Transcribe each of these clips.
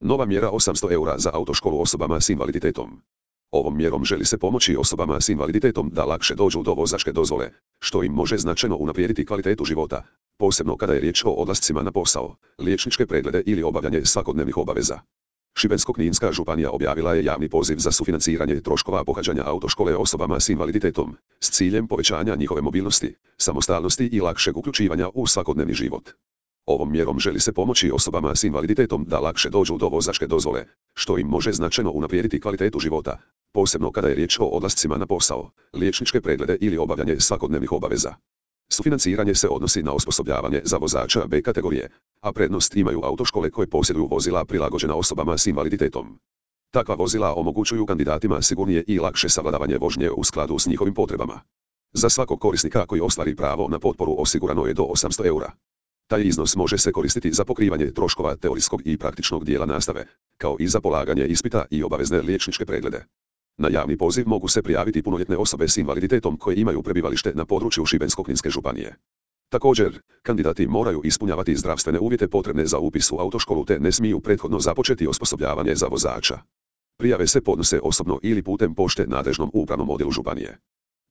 Nova mjera 800 eura za autoškolu osobama s invaliditetom. Ovom mjerom želi se pomoći osobama s invaliditetom da lakše dođu do vozačke dozvole, što im može značajno unaprijediti kvalitetu života, posebno kada je riječ o odlascima na posao, liječničke preglede ili obavljanje svakodnevnih obaveza. Šibensko-kninska županija objavila je javni poziv za sufinanciranje troškova pohađanja autoškole osobama s invaliditetom, s ciljem povećanja njihove mobilnosti, samostalnosti i lakšeg uključivanja u svakodnevni život. Ovom mjerom želi se pomoći osobama s invaliditetom da lakše dođu do vozačke dozvole, što im može značajno unaprijediti kvalitetu života, posebno kada je riječ o odlascima na posao, liječničke preglede ili obavljanje svakodnevnih obaveza. Sufinanciranje se odnosi na osposobljavanje za vozača B kategorije, a prednost imaju autoškole koje posjeduju vozila prilagođena osobama s invaliditetom. Takva vozila omogućuju kandidatima sigurnije i lakše savladavanje vožnje u skladu s njihovim potrebama. Za svakog korisnika koji ostvari pravo na potporu osigurano je do 800 eura. Taj iznos može se koristiti za pokrivanje troškova teorijskog i praktičnog dijela nastave, kao i za polaganje ispita i obavezne liječničke preglede. Na javni poziv mogu se prijaviti punoljetne osobe s invaliditetom koje imaju prebivalište na području Šibensko-kninske županije. Također, kandidati moraju ispunjavati zdravstvene uvjete potrebne za upis u autoškolu te ne smiju prethodno započeti osposobljavanje za vozača. Prijave se podnose osobno ili putem pošte nadležnom upravnom odjelu županije.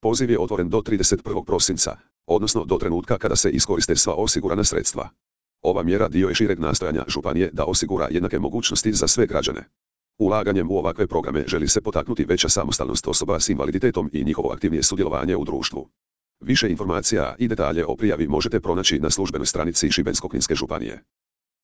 Poziv je otvoren do 31. prosinca, odnosno do trenutka kada se iskoriste sva osigurana sredstva. Ova mjera dio je šireg nastojanja županije da osigura jednake mogućnosti za sve građane. Ulaganjem u ovakve programe želi se potaknuti veća samostalnost osoba s invaliditetom i njihovo aktivnije sudjelovanje u društvu. Više informacija i detalje o prijavi možete pronaći na službenoj stranici Šibensko-kninske županije.